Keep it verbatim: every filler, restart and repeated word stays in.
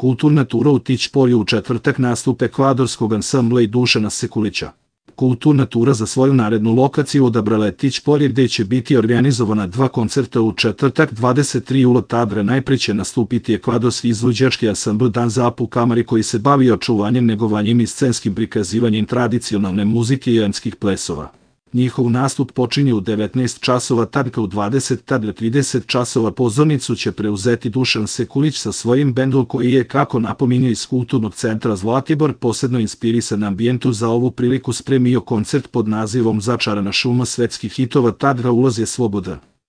Kulturna tura u Tićpolju u četvrtak nastup ekvadorskog ansambla i Dušana Sekulića. Kulturna tura za svoju narednu lokaciju odabrala je Tićpolje gde će biti organizovana dva koncerta u četvrtak dvadeset tri jula. Tabra najpre će nastupiti ekvadorski izvođački ansambl Danza u Kamari koji se bavi očuvanjem, negovanjem i scenskim prikazivanjem tradicionalne muzike i anskih plesova. Njihov nastup počinje u devetnaest časova, tabka u dvadeset, tabla trideset časova. Pozornicu će preuzeti Dušan Sekulić sa svojim bendom koji je, kako napominje iz Kulturnog centra Zlatibor, posebno inspirisan ambijentu za ovu priliku spremio koncert pod nazivom Začarana šuma svetskih hitova. Tabra ulaz je slobodan.